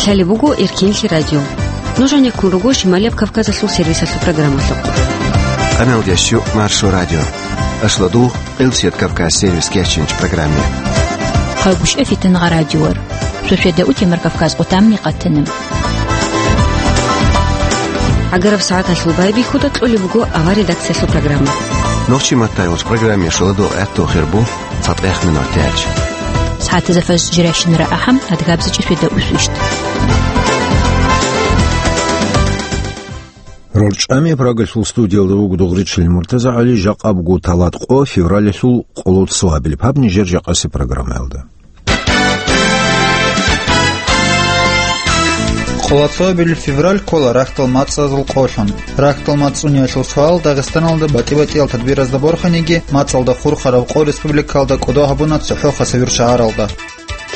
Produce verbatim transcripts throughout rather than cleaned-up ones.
Лъалеб буго Эркенлъи радио. Нуж гьанеккун руго Шималияб Кавказалъул сервисалъул программалъухъ. Къаналдящу Маршо радио. Аслу дугъ Элсият Кавказ сервис кечинч программе. Хъагушев Фитангъа радиор. Суседа утемар Кавказ къутамни къатанам. Агараб сагӀаталъул байбихьуда кьолеб буго авар редакциялъул программа. Нохчи маттайгъуч программе шоладул гӀатту хирбу цатӀех минут тяч. СагӀатазафаз жиращинара ахӀам адгабзичӀи светда усвищт. РорчӀами Прагалъул студиялда вуго Дугъричил Муртаза ГӀали, жакъа буго талат къо февралалъул къоло цоабилеб гьаб нижер жакъаси программаялда. Къоло цоабилеб февраль ккола рахьдал мацӀазул къолъун. Рахьдал мацӀ цӀуниялъул суал Дагъистаналда батӀи-батӀиял тадбиразда борханиги, мацӀалда хурхараб къо республикалда кӀодо гьабуна цохӀо хасавюр шагьаралда.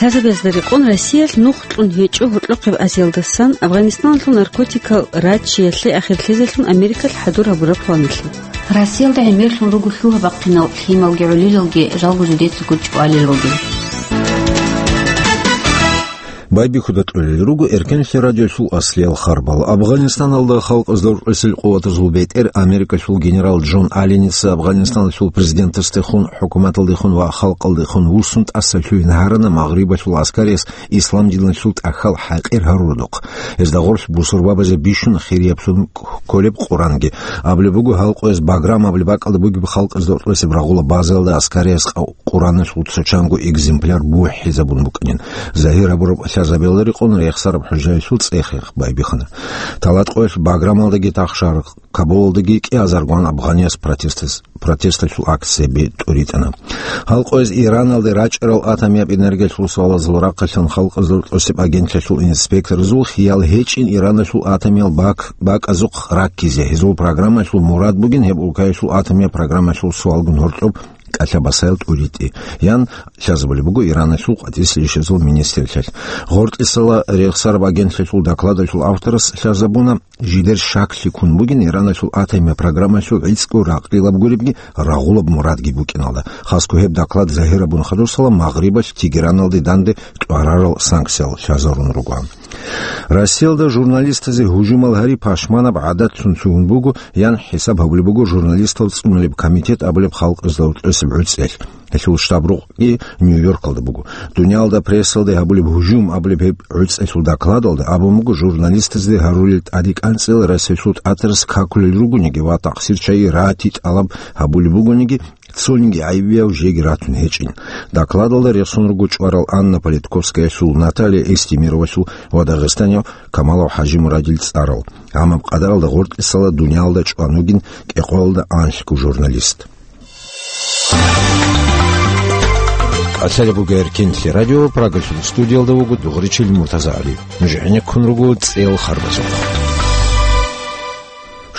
Лъазабазда рекъон Россиялъ нух кьун гьечӀо гьоркьохъеб Азиялдасан Афганистаналъул наркотикал рачиялъе ахирлъизелъун Америкалъ хӀадур гьабураб планалъе. Россиялда гӀемерлъун руго лъугьа-бахъинал лъималги гӀолилалги, жалго жидецаго чӀвалел ругел. Байбихьуда кьолел руго Эркенлъи радиолъул аслиял харбал. Афганистаналда халкъазда роркьесел къуватазул бетӀер Америкалъул генерал Джон Алленица Афганистаналъул президентасдехун, хӀукуматалдехун ва халкъалдехун вуссун тӀаса лъугьин гьарана Магърибалъул аскариялъ ислам диналъул тӀахьал хӀакъир гьарурадухъ. Гьезда гъорлъ бусурбабазе бищун хирияб кколеб Къуранги. Абулеб буго, гьал къояз Баграм абулеб бакӀалда бугеб халкъазда роркьесеб рагъула базаялда аскариялъ къав Къураналъул цо чанго экземпляр бухӀизабун букӀанин. Загьир гьабураб лъазабиялда рекъон рехсараб хӀужаялъул цӀех байбихьана. Талат къоялъ Баграмалдаги тахшар Кабулалдаги кӀиазаргун афганияс протестас-, протесталъул акцияби тӀуритӀана. Гьал къояз Ираналде рачӀарал атомияб энергиялъул суалазул рахъалъан халкъазда роркьосеб агентлъиялъул инспекторзул хиял гьечӀин Ираналъул атомиял бак-, бакӀазухъ раккизе. Гьезул программаялъул мурад бугин гьеб улкаялъул атомияб программаялъул суалгун гьоркьоб кӀалъа-басаял тӀуритӀи, ян лъазабулеб буго Ираналъул къватӀиса рещтӀезул министрлъиялъ. ГъортӀисала рехсараб агентлъиялъул докладалъул авторас лъазабуна, жидер щаклъи ккун бугин Ираналъул атомияб программаялъул гӀицӀго ракълилаб гуребги рагъулаб мурадги букӀиналда. Хасго гьеб доклад загьирабун хадусала Магърибалъ Тегераналде данде тӀварарал санкциял лъазарун руго. Россиялда журналистазе гьужумал гьари пашманаб гӀадатлъун лъугьун буго, ян хӀисаб гьабулеб буго журналистал цӀунулеб комитет абулеб халкъазда роркьосеб гӀуцӀиялъ. Гьелъул штаб-рукъги Нью-Йоркалда буго. Дуниялда прессалде гьабулеб гьужум абулеб гьеб гӀуцӀиялъул докладалда абун буго, журналистазде гьарулел тӀадекӀанцӀил Россиялъул тӀатарас какулел ругониги ва такъсирчагьи рати тӀалаб гьабулеб бугониги, цониги гӀайибияв жеги ратун гьечӀин. Докладалда рехсон руго чӀварал Анна Политковскаялъул, Наталья Эстемировалъул ва дагъистанияв Камалов ХӀажимурадил цӀарал. Гьамаб къадаралда гъортӀисала дуниялда чӀван вугин кӀикъоялда анлъго журналист. Лъалеб буго Эркенлъи радио, Прагалъул студиялда вуго Дугъричил Муртаза ГӀали. Нуж гӀенеккун руго цӀеял харбазухъ.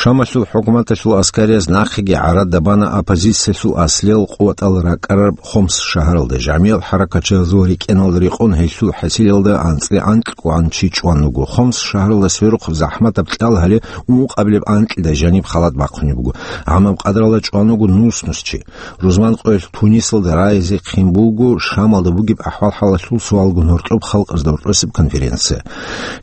Шамалъул хӀукуматалъул аскарияз нахъеги гӀарац бана оппозициялъул аслиял къуватал ракӀарараб Хомс шагьаралда. ЖамигӀал хӀаракатчиязул рикӀкӀеналда рекъон гьелъул хӀасилалда анцӀила анкьго чи чӀван вуго. Хомс шагьаралда сверухъ захӀматаб кьал гьале ункъабилеб анкьида жаниб халат бахъунеб буго. Гьамаб къадаралда чӀван вуго нус-нус чи. Рузман къоялъ Тунисалда раизе хъин буго Шамалда бугеб ахӀвал-хӀалалъул суалгун гьоркьоб халкъазда роркьосеб конференция.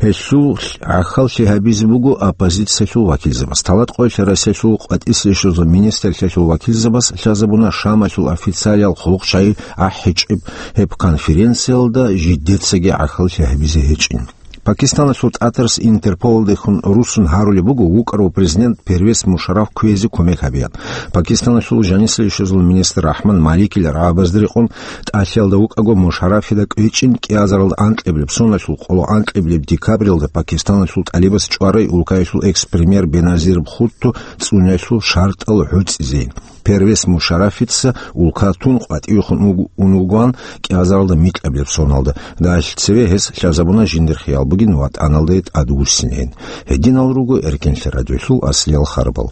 Гьелъул гӀахьаллъи гьабизе буго оппозициялъул вакилзабаз. Талат къоялъ Россиялъул къватӀиса рещтӀезул министрлъиялъул вакилзабаз лъазабуна Шамалъул официалиял хъулухъчагӀи ахӀичӀеб гьеб конференциялда жидецаги гӀахьаллъи гьабизе гьечӀин. Пакистаналъул тӀатарас Интерполалдехун руссун гьарулеб буго вукӀарав президент Первез Мушарраф кквезе кумек гьабеян. Пакистаналъул жанисалъул министр Рахман Маликил рагӀабазда рекъон тӀалъиялда вукӀаго Мушаррафида кӀвечӀин кӀиазарал анкьабилеб соналъул къоло анкьабилеб декабралда Пакистаналъул тӀалибас чӀварай улкаялъул экс-премьер Беназир Бхутто цӀуниялъул шартӀал гӀуцӀизейин. Первез Мушаррафица улкатун къватӀивехун уг-, ун вугоан кӀиазаралда микьабилеб соналда. Далъ цеве гьес лъазабуна жиндир хиял бугин ватӀаналде тӀадвуссинейин. Гьединал руго Эркенлъи радиолъул аслиял харбал.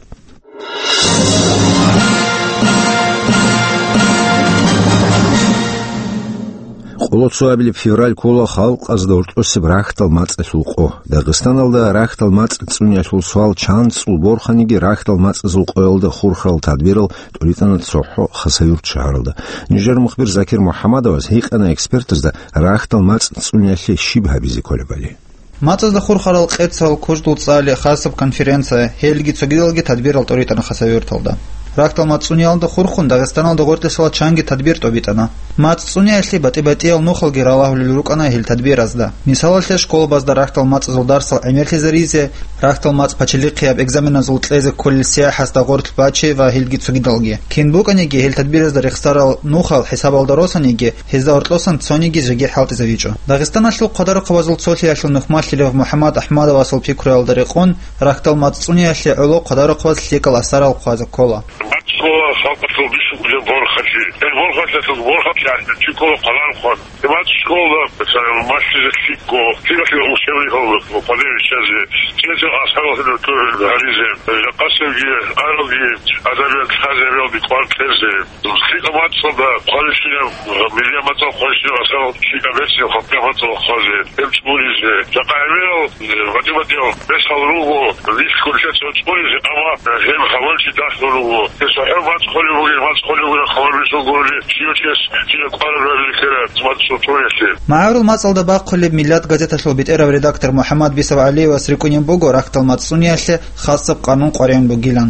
Къоло цоабилеб февраль ккола халкъазда гьоркьосеб рахьдал мацӀалъул къо. Дагъистаналда рахьдал мацӀ цӀуниялъул суал чан цӀул борханиги, рахьдал мацӀазул къоялда хурхарал тадбирал тӀуритӀана цохӀо Хасавюрт шагьаралда. Нижер мухбир Закир МухӀаммадовас гьикъана экспертазда рахьдал мацӀ цӀуниялъе щиб гьабизе кколебали. МацӀазда хурхарал къецал, куждул цӀали, хасаб конференция, гьелги цогидалги тадбирал тӀоритӀана Хасавюрталда. Рахьдал мацӀ цӀуниялда хурхун Дагъистаналда гъоркье сола чанги тадбир тӀобитӀана. МацӀ цӀуниялъе батӀи-батӀиял нухалги ралагьулел рукӀана гьел тадбиразда. Мисалалъе, школабазда рахьдал мацӀазул дарсал гӀемерлъизаризе, рахьдал мацӀ пачалихъияб экзаменазул кьезе кколел сияхӀасда гъорлъ бачи ва гьелги цогидалги. Кин букӀаниги, гьел тадбиразда рехсарал нухал хӀисабалда росаниги, гьезда гьоркьосан цониги жеги хӀалтӀизавичӀо. Дагъистаналъул хъвадарухъабазул цолъиялъул нухмалъилев МухӀаммад АхӀмадовасул пикруялда рекъон, рахьдал мацӀ цӀуниялъе гӀоло хъвадарухъабаз лъикӀал асарал хъвазе ккола. МацӀ цӀуна халкъалъул бищун кколеб борхалъи. Гьел борхалъиялъул борхалъи гьанже чи ккола хъвадарухъан. Гьеб мацӀ школалда малъизе лъикӀго, лъикӀалъе учебникал хъвазе виччазе, цинги асарал гьарулел гьаризе, жакъасебги, аралги, адабият лъазе, релги кӀвар кьезе. ЛъикӀаб мацӀалда хъвалищинаб, миллияб мацӀал хъвалищинаб асарал лъикӀаб берцинаб халкъияб мацӀал хъвазе, гьеб цӀунизе. Жакъа гӀемерал, батӀи-батӀиял бесал руго, нилъго нилъеца цӀунизе, амма гьеб гьабулчи дагьлъун руго. Гьесухъе мацӀ хъвалеб бугин, мацӀ хъвалеб бугин хабар бицун гурони, щивав чияс кӀияб кӀвараб рабили ккела мацӀ цӀуниялъе. МагӀарул мацӀалда бахъулеб «Миллат» газеталъул бетӀерав редактор МухӀаммад Бисов ГӀалиевас рикӀкӀунеб буго рахьдал мацӀ цӀуниялъе хасаб къанун къваригӀун бугилан.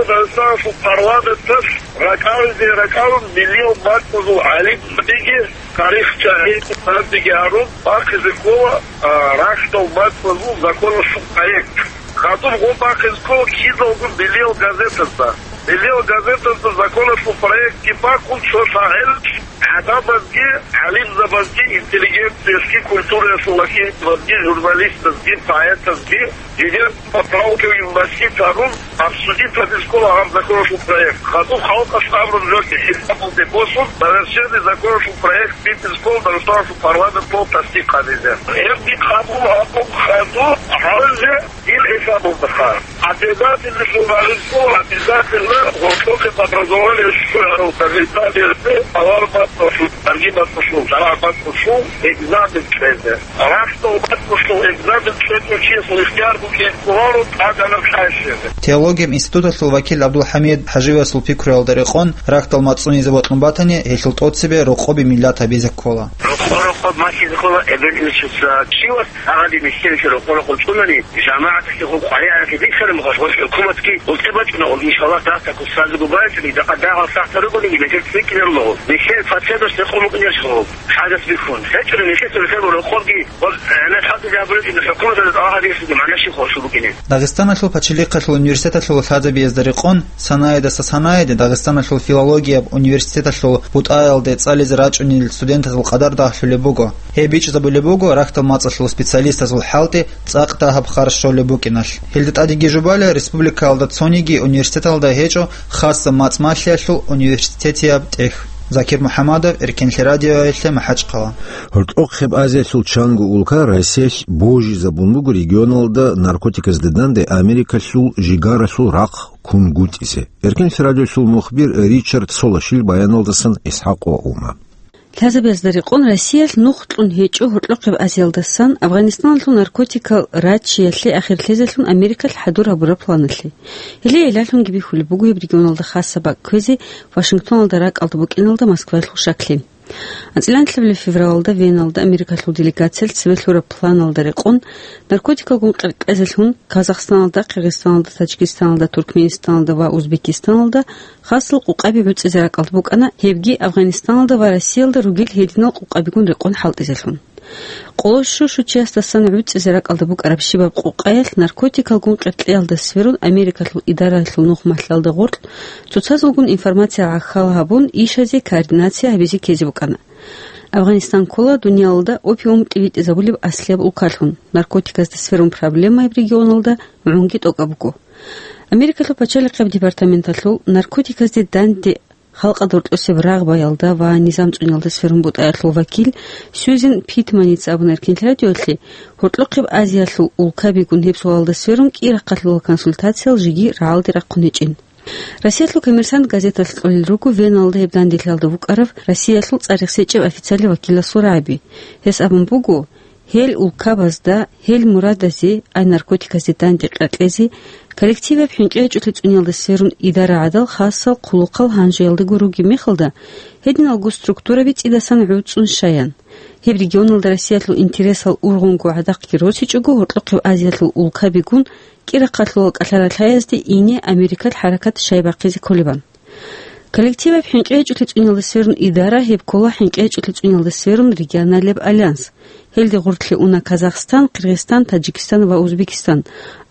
Дагъистаналъул парламенталъ ракӀалде ракӀалде миллияб мацӀазул гӀалимзабиги, тарихчагӀи, гьездаги гьарун бахъизе ккола, а, рахьдал мацӀазул законалъул проект. Хадуб гъоб бахъизе ккола кидалго миллиял газетазда. Миллиял газетазда законалъул проектги бахъун цо лъагӀел гӀадамазги, гӀалимзабазги, интеллигенциялъги, культураялъул вакилзабазги, журналистазги, поэтазги, жидер поправкаги мунасиб гьарун, обсудить гьабизе ккола гьаб законалъул проект. Хадуб халкъалъ абураб жоги хӀисабалде босун, совершенный законалъул проект битӀизе ккола Дагъистаналъул парламенталъ тасдикъ гьабизе. Гьебги къабул гьабун хадуб гьанже дир хӀисабалдаха. Обязательно журналистул, обязательно гьоркьохъеб образование щварал Дагъистаналъе авар мацӀалъул, тарги мацӀалъул, шаргӀ мацӀалъул экзамен кьезе. Рахьдал мацӀалъул экзамен кьечӀев чиясул ихтияр букӀине кколаро тӀадегӀанаб хӀал щвезе. Теологияб институталъул вакил ГӀабдулхӀамид ХӀажиевасул пикруялда рекъон, рахьдал мацӀ цӀунизе бокьун батани, гьелъул тӀоцебе рокъоби миллат гьабизе ккола. Рокъо-рокъоб малъизе ккола эбел-инсуца. Щивас гьагъаде нилъеца рокъо-рокъоб цӀунани, жамагӀаталъе гъоб къваригӀаралъе бихьараб мехалъ, гъоб хӀукуматги гъоб тӀебачӀуна, гьоб, иншаллагь, дагьаб кусазего байбичӀони, дагьал сахлъараб бугониги, нилъер цӀикӀкӀинарун гъоб. Нилъер пацанас рекъон букӀине гьечӀо гъоб, хӀажат бихьун. ГьечӀони нилъеца рехсараб рокъобги, гъоб гӀенеккалда гьабулеб жо хӀукуматалда тӀалаб гьабизе гьанже щиб хӀал щвезабукӀине. Дагъистаналъул пачалихъалъул университеталъул лъазабиязда рекъон, санаядаса санаялде Дагъистаналъул филологияб университеталъул бутӀаялде цӀализе рачӀунел студентазул къадар дагьлъулеб буго. Гьеб бичӀчӀизабулеб буго рахьдал мацӀалъул специалистазул хӀалтӀи цӀакъ дагьаб харж щолеб букӀиналъ. Гьелда тӀадеги жубала республикаялда цониги университеталда гьечӀо хасаб мацӀ малъиялъул университетияб тӀехь. Закир МухӀамадов, Эркенлъи радиоялъе, МахӀачхъала. Гьоркьохъеб Азиялъул чанго улка Россиялъ божизабун буго регионалда наркотиказда данде Америкалъул жигаралъул рахъ кунгутӀизе. Эркенлъи радиоялъул мухбир Ричард Солошил баяналдасан ИсхӀакъ ва Ума. Лъазабиязда рекъон, Россиялъ нух кьун гьечӀо гьоркьохъеб Азиялдасан, Афганистаналъул наркотикал раччиялъе ахир лъезелъун Америкалъ хӀадур гьабураб планалъе. Гьеле гӀиллалъунги бихьулеб буго гьеб регионалда хасаб бакӀ кквезе Вашингтоналда ракӀалда букӀиналда Москваялъул шаклъи. АнцӀила нилъабилеб февралалда Веналда Америкалъул делегациялъ цебе лъураб планалда рекъон, наркотикалгун къеркьезелъун Казахстаналда, Киргизстаналда, Таджикистаналда, Туркменистаналда ва Узбекистаналда хасал къукъаби гӀуцӀизе ракӀалда букӀана, гьебги Афганистаналда ва Россиялда ругел гьединал къукъабигун рекъон хӀалтӀизелъун. Къоло щущучиясдасан гӀуцӀизе ракӀалда букӀараб щибаб къукъаялъ наркотикалгун къеркьеялда сверун Америкалъул идараялъул нух малъалда гъоркь цоцазулгун информация гӀахьал гьабун, ишазе координация гьабизе ккезе букӀана. Афганистан ккола дуниялалда опиум тӀибитӀизабулеб аслияб улкалъун, наркотиказда сверун проблемаяб регионалда гӀунги тӀокӀаб буго. Америкалъул пачалихъияб департаменталъул наркотиказде данде халкъалда гьоркьосеб рагъбаялда ва низам цӀуниялда сверун бутӀаялъул вакил Сьюзен Питманица абуна Эркенлъи радиоялъе, гьоркьохъеб Азиялъул улкабигун гьеб суалалда сверун кӀий рахъалъулал консультациял жеги рагӀалде рахъун гьечӀин. Россиялъул «Коммерсант» газеталъ кьолел руго Веналда гьеб данделъиялда вукӀарав Россиялъул цӀарихъ сечӀеб официалияб вакиласул рагӀаби. Гьес абун буго, Гьел улкабазда, гьел мурадазе, ай наркотиказде данде къеркьезе, коллективаб хӀинкъи гьечӀолъи цӀуниялда сверун идара гӀадал хасал хъулухъал гьанжеялдаго ругеб мехалда, гьединалго структураби цӀидасан гӀуцӀун щаян. Гьеб регионалда Россиялъул интересал ургъунго гӀадахъги росичӀого, гьоркьохъеб Азиялъул улкабигун кӀирахъалъулал кӀалъара лъаязде ине Америкалъ хӀаракат щай бахъизе кколебан. Коллективаб хӀинкъи гьечӀолъи цӀуниялда сверун идара, гьеб ккола хӀинкъи гьечӀолъи цӀуниялда сверун регионалияб альянс. Гьелде гъорлъе уна Казахстан, Киргизстан, Таджикистан ва Узбекистан,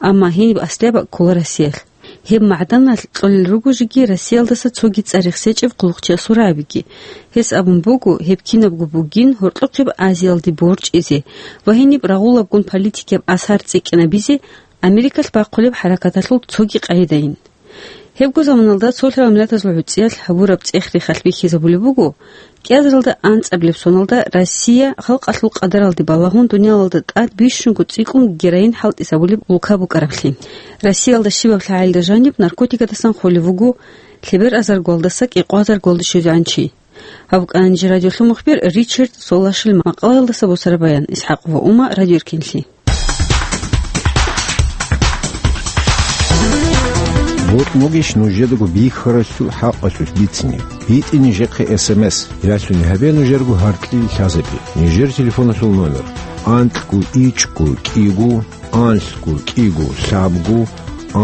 амма гьениб аслияб ккола Россиялъ. Гьеб магӀданалъ кьолел руго жеги Россиялдаса цоги цӀар-рехс гьечӀеб хъулухъчиясул рагӀабиги. Гьес абун буго, гьеб кинабго бугин гьоркьохъеб Азиялде борчӀизе ва гьениб рагъулабгун политикияб асар цӀикӀкӀинабизе Америкалъ бахъулеб хӀаракаталъул цоги къагӀидайин. Гьебго заманалда Цолъарал Миллатазул ГӀуцӀиялъ гьабураб цӀех-рехалъ бихьизабулеб буго, кӀиазаралда анцӀабилеб соналда Россия халкъалъул къадаралде балагьун дуниялалда тӀад бищунго цӀикӀкӀун героин хӀалтӀизабулеб улка букӀараблъи. Россиялда щибаб лъагӀалда жаниб наркотикадасан холев вуго лъебер азаргоялдаса кӀикъоязаргоялде щвезегӀан чи. Гьаб букӀана нижер радиолъул мухбир Ричард Солашил макъалаялдаса босараб баян. ИсхӀакъова Ума, Радио Эркинлъи. БокьугӀищ нужедаго бихьаралъул хӀакъалъулъ бицине? БитӀе нижехъе СМС, ясуни гьабе нужерго гьаркьил лъазабе. Нижер телефоналъул номер: анкьго ичӀго кӀиго, анлъго кӀиго лъабго,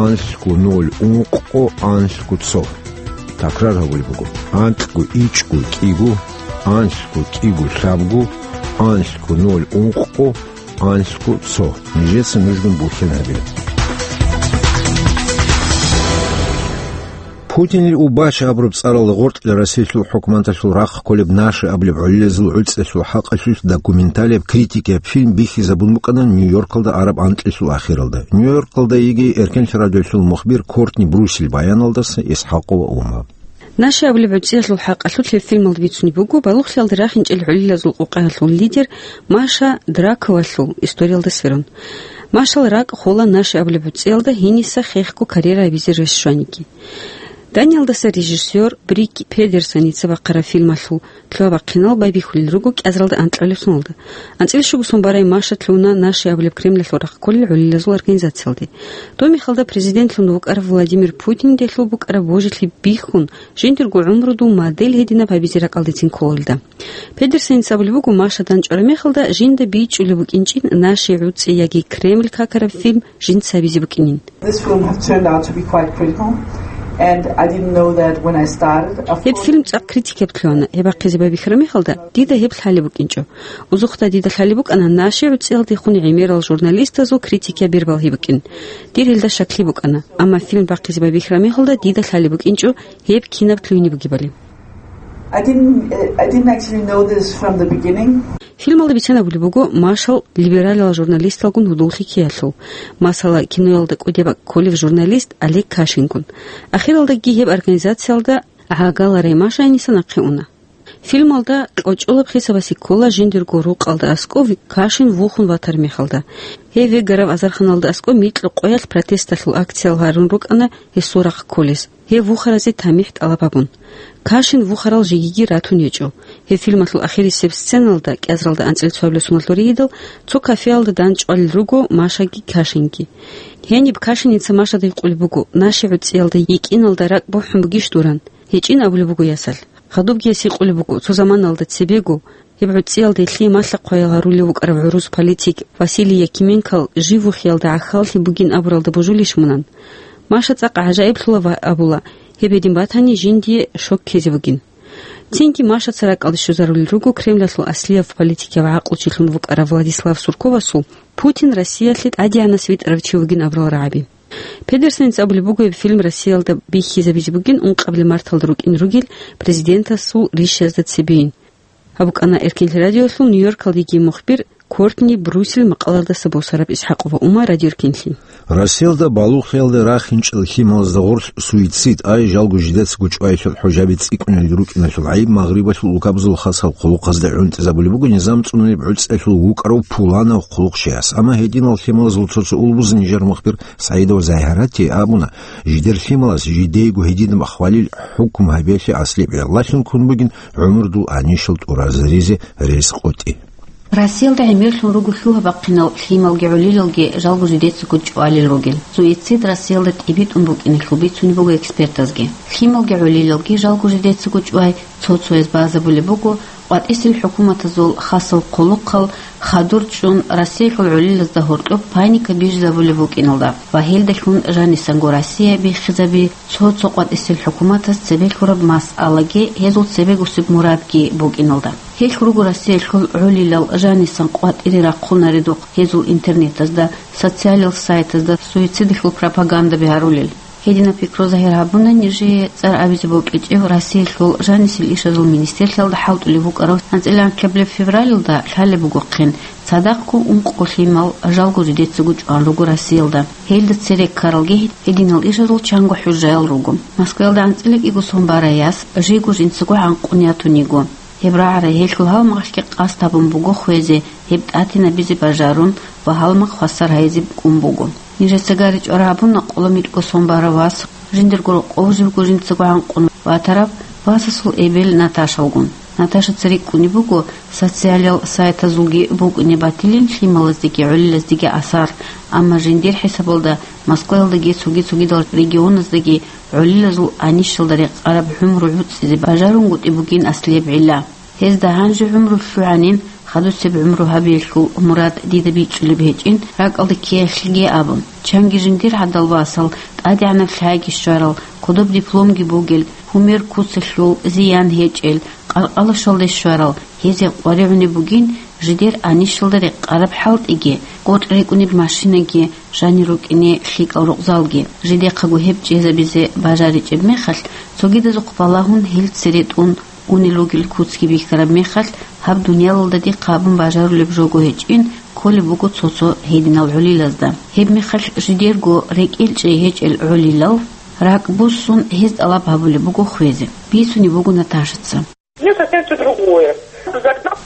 анлъго ноль ункъго, анлъго цо. Такрар гьабулеб буго: анкьго ичӀго кӀиго, анлъго кӀиго лъабго, анлъго ноль ункъго, анлъго цо. Нижеца нужгун бухьен гьабе. Путинил убач абураб цӀаралда гъоркье Россиялъул хӀукуматалъул рахъ кколеб «Наши» абулеб гӀолилазул гӀуцӀиялъул хӀакъалъулъ документалияб критикияб фильм бихьизабун букӀана Нью-Йоркалда араб анкьилъул ахиралда. Нью-Йоркалда йиги Эркенлъи радиолъул мухбир Кортни Брусил баяналдаса ИсхӀакъова Ума. «Наши» абулеб гӀуцӀиялъул хӀакъалъулъ гьеб фильмалда бицунеб буго балугълъиялда рахинчӀел гӀолилазул къукъаялъул лидер Маша Драковалъул историялда сверун. Машал ракӀ хола «Наши» абулеб гӀуцӀиялда гьениса хехго карьера гьабизе рес щваниги. Даниялдаса режиссер Брик Педерсеница бахъараб фильмалъул лъугьа-бахъинал байбихьулел руго кӀиазаралда анкьабилеб соналда. АнцӀила щуго сон барай Маша лъугьуна «Наши» абулеб Кремлалъул рахъ кколел гӀолилазул организациялде. Доб мехалда президентлъун вукӀарав Владимир Путинде гьелъул букӀараб божилъи бихьун, жиндирго гӀумрудул модель гьединаб гьабизе ракӀалдецин ккола гьелда. Педерсеница абулеб буго, Маша данчӀвараб мехалда жинда бичӀчӀулеб букӀинчӀин «Наши» гӀуцӀи яги Кремль какараб фильм жинца гьабизе букӀинин. This film has turned out to be quite critical, and I didn't know that when I started. Of Гьеб course, фильм цӀакъ критикияб лъугьана. Гьеб бахъизе байбихьараб мехалда, дида гьеб лъалеб букӀинчӀо. Узухъда дида лъалеб букӀана «Наши» гӀуцӀиялдехун гӀемерал журналистазул критикияб бербал гьеб букӀин. Дир гьелда щаклъи букӀана, амма фильм бахъизе байбихьараб мехалда дида лъалеб букӀинчӀо гьеб кинаб лъугьине бугебали. I didn't, uh, I didn't actually know this from the beginning. Фильмалда бицанабулеб буго Машал либералал журналисталгун гьудуллъи ккеялъул, масала, киноялда кӀудияб бакӀ кколев журналист Олег Кашингун. Ахиралдаги гьеб организациялда гӀагаларай Маша гьениса нахъе уна. Фильмалда кьочӀолаб хисабасе ккола жиндирго рукъалда аскӀов Кашин вухун ватар мехалда. Гьев вегарав азарханалда аскӀов микьго къоялъ протесталъул акциял гьарун рукӀана гьесул рахъ кколез, гьев вухаразе тамихӀ тӀалаб гьабун. Кашин вухарал жегиги ратун гьечӀо. Гьеб фильмалъул ахирисеб сценалда, кӀиазаралда анцӀила цоабилеб соналъул ригьидал, цо кафеялда данчӀвалел руго Машаги Кашинги. Гьениб Кашиница Машада гьикъулеб буго, «Наши» гӀуцӀиялда йикӀиналда ракӀ бухӀун бугищ дуран? ГьечӀин абулеб буго ясалъ. Гьадубги гьес гьикъулеб буго, цо заманалда цебего, гьеб гӀуцӀиялде лъие малъа-хъваял гьарулев вукӀарав гӀурус политик Василий Якименкол жив вухиялда гӀахьаллъи бугин абуралда божулищ мунан? Маша цӀакъ гӀажаиблъула ва абула, гьеб гьедин батани, жиндие шок ккезе бугин. Цинги Машаца ракӀалде щвезарулел руго Кремлалъул аслияб политикав гӀакълучилъун вукӀарав Владислав Сурковасул Путин Россиялъе тӀадегӀанас витӀарав чи вугин абурал рагӀаби. Педерсеница абулеб буго, гьеб фильм Россиялда бихьизабизе бугин ункъабилеб марталда рукӀин ругел президентасул ришазда цебейин. Гьаб букӀана Эркинлъи радиолъул Нью-Йоркалдеги мухбир Кортни Брусил макъалаялдаса босараб. ИсхӀакъова Ума, Радио Эркинлъи. Россиялда балугълъиялда рахинчӀел лъималазда гъорлъ суицид, ай жалго жидецаго чӀваялъул хӀужаби цӀикӀкӀунел рукӀиналъул гӀайиб Магърибалъул улкабазул хасал хъулухъазда гӀунтӀизабулеб буго низам цӀунулеб гӀуцӀиялъул вукӀарав пуланав хъулухъчияс. Амма гьединал лъималазул цо-цо улбузе нижер мухбир СагӀидова Загьирати абуна, жидер лъималаз жидейго гьединаб хвалил хӀукму гьабиялъе аслияб гӀиллалъун ккун бугин гӀумрудул гьанишал тӀуразаризе рес къотӀи. Россиялда гӀемерлъун руго лъугьа-бахъинал лъималги гӀолилалги жалго жидецаго чӀвалел ругел. Суицид Россиялда тӀибитӀун букӀиналъул бицунеб буго экспертазги. Лъималги гӀолилалги жалго жидецаго чӀвай цо-цояз базабулеб буго къватӀисел хӀукуматазул хасал хъулухъал хадур чӀун, Россиялъул гӀолилазда гьоркьоб паника бижизабулеб букӀиналда ва гьелдалъун жанисанго Россия биххизаби цо-цо къватӀисел хӀукуматаз цебе лъураб масъалаги гьезул цебегусеб мурадги букӀиналда. Гьелъ руго Россиялъул гӀолилал жанисан къватӀире рахъунаредухъ гьезул интернетазда, социалил сайтазда суицидалъул пропагандаби гьарулел. Гьединаб пикру загьир гьабуна нижее цӀар абизе бокьичӀев Россиялъул жанисел ишазул министрлъиялда хӀалтӀулев вукӀарав анцӀила анкьабилеб февралалда лъалеб бугохъин, цадахъго ункъо лъимал жалго жидецаго чӀван руго Россиялда. Гьелда цере ккаралги гьединал ишазул чанго хӀужаял руго. Москваялда анцӀила кӀиго сон барай яс жийго жинцаго гӀанкъун ятун йиго. Гьеб рагӀарай гьелъул гьалмагълъи къасд гьабун буго хвезе, гьеб тӀатинабизе бажарун ва гьалмагъ хвасар гьайзе кӀун буго. Нижеца гаричӀо рагӀабуна къоло микьго сон барав вас, жиндирго рокъов живго жинцаго гӀанкъун ватарав васасул эбел Наташалгун. Наташаца рикӀкӀунеб буго социалил сайтазулги букӀине батилин лъималаздеги гӀолилаздеги асар, амма жиндир хӀисабалда Москваялдаги цоги-цогидал регионаздаги гӀолилазул анищалда рекъараб гӀумру гӀуцӀизе бажарунгутӀи бугин аслияб гӀилла. Гьезда гьанже гӀумру лъугӀанин, хадусеб гӀумру гьабиялъул мурад дида бичӀчӀулеб гьечӀин, ракӀалде ккеялъеги абун. Чанги жиндир гӀадал васал, тӀадегӀанаб лъайги щварал, кодоб дипломги бугел, гьумер куцалъул зиян гьечӀел, къаркъалашалде щварал, гьезие къваригӀунеб бугин жидер анищалда рекъараб хӀалтӀиги, къотӀ рекӀунеб машинаги, жанир рукӀине лъикӀал рукъзалги. Жидехъаго гьеб чӀезабизе бажаричӀеб мехалъ, цогидазухъ балагьун гьел цере тӀун унел ругел куцги бихьараб мехалъ, гьаб дуниялалда дихъ гьабун бажарулеб жого гьечӀин кколеб буго цо-цо гьединал гӀолилазда. Гьеб мехалъ жидерго рекӀелчӀей гьечӀел гӀолилал, ракӀ буссун, гьез тӀалаб гьабулеб буго хвезе. Бицунеб буго Наташаца. Мне совсем всё другое.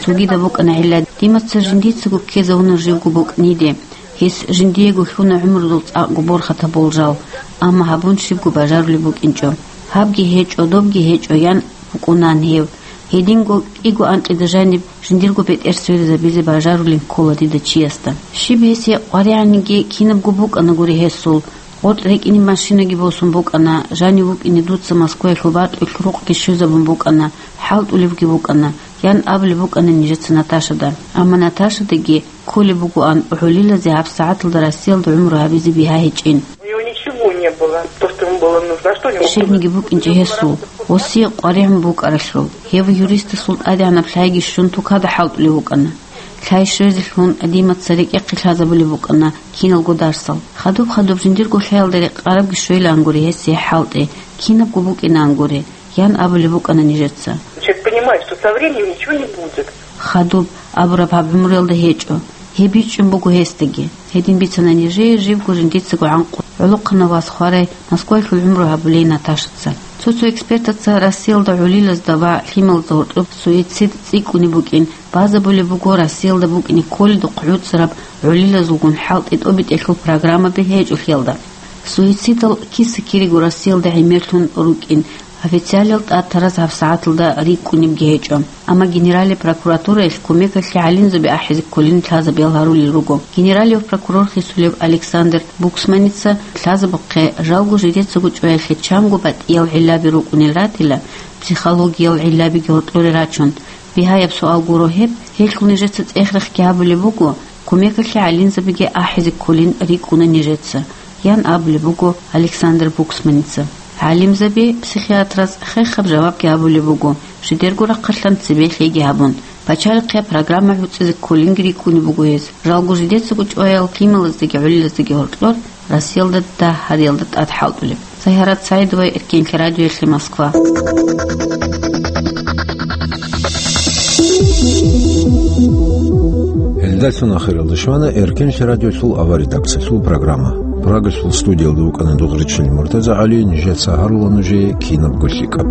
Цогидаб букӀана гӀилла, Димаца жиндицаго ккезавуна живго букӀниде. Гьес жиндиего лъуна гӀумрудул цӀакъго борхатаб болжал, амма гьабун щибго бажарулеб букӀинчӀо. Гьабги гьечӀо, добги гьечӀо, ян букӀунан гьев. Гьединго кӀиго анкьида жаниб жиндирго бетӀер сверизабизе бажарулин ккола дида чиясда. Щиб гьесие къваригӀаниги кинабго букӀанагури гьесул, къотӀ рекӀине машинаги босун букӀана, жанив вукӀине дуца Москваялъул батӀулъ рукъги щвезабун букӀана, хӀалтӀулевги букӀана, ян абулеб букӀана нижеца Наташада. Амма Наташадаги кколеб бугоан гӀолилазе гьабсагӀаталда Россиялда гӀумру гьабизе бигьа гьечӀин. У него ничего не было, то, что ему было нужно. А что у него было? Щибниги букӀинчӀо гьесул, гьесие къваригӀун букӀаралъул. Гьев юристасул тӀадегӀанаб лъайги щун тукада хӀалтӀулев вукӀана. Лъай щвезелъун Димаца рекӀехъе лъазабулеб букӀана киналго дарсал. Хадуб-хадуб жиндирго лъаялда рекъарабги щвелаангури гьесие хӀалтӀи, кинабго букӀинаангури, ян абулеб букӀана нижеца. Человек понимает, что со временем ничего не будет. Хадуб абураб гьаб гӀумруялда гьечӀо. Гьеб бичӀчӀун буго гьесдаги. Гьедин бицана нижее живго жиндицаго гӀанкъун гӀолохъанав вас хварай Москваялъул гӀумру гьабулей Наташаца. Цо-цо экспертаца Россиялда гӀолилазда ва лъималазда гьоркьоб суицид цӀикӀкӀунеб букӀин базабулеб буго Россиялда букӀине кколедухъ гӀуцӀараб гӀолилазулгун хӀалтӀи тӀобитӀелъул программаби гьечӀолъиялда. Суицидал киса-кириго Россиялда гӀемерлъун рукӀин, официалиял тӀатараз гьабсагӀаталда рикӀкӀунебги гьечӀо. Амма Генералияб прокуратураялъ кумекалъе гӀалимзаби ахӀизе кколин лъазабиял гьарулел руго. Генералияб прокурор хисулев Александр Буксманица лъазабухъе жалго жидецаго чӀваялъе чанго батӀиял гӀиллаби рукӀунел ратила, психологиял гӀиллабиги гьоркьоре рачун. Бигьаяб суал гуро гьеб, гьелъул нижеца цӀех-рехги гьабулеб буго, кумекалъе гӀалимзабиги ахӀизе кколин рикӀкӀуна нижеца, ян абулеб буго Александр Буксманица. ГӀалимзаби, психиатраз хехаб жавабги гьабулеб буго, жидерго рахъалъан цебе лъеги гьабун. Пачалихъе программа гӀуцӀизе кколинги рикӀкӀунеб буго гьез. Жалго жидецаго чӀваял лъималаздаги гӀолилаздаги гьоркьор Россиялда дагь гьариялда тӀад хӀалтӀулеб. Загьарат Саидова, Эркенлъи радиоялъе, Москва. Гьелдалъун ахиралда щвана Эркенлъи радиолъул авария редакциялъул программа. Прагалъул студиялда вукӀана Дугъричил МуртазагӀали, нижеца гьарула нужее кинабго лъикӀаб.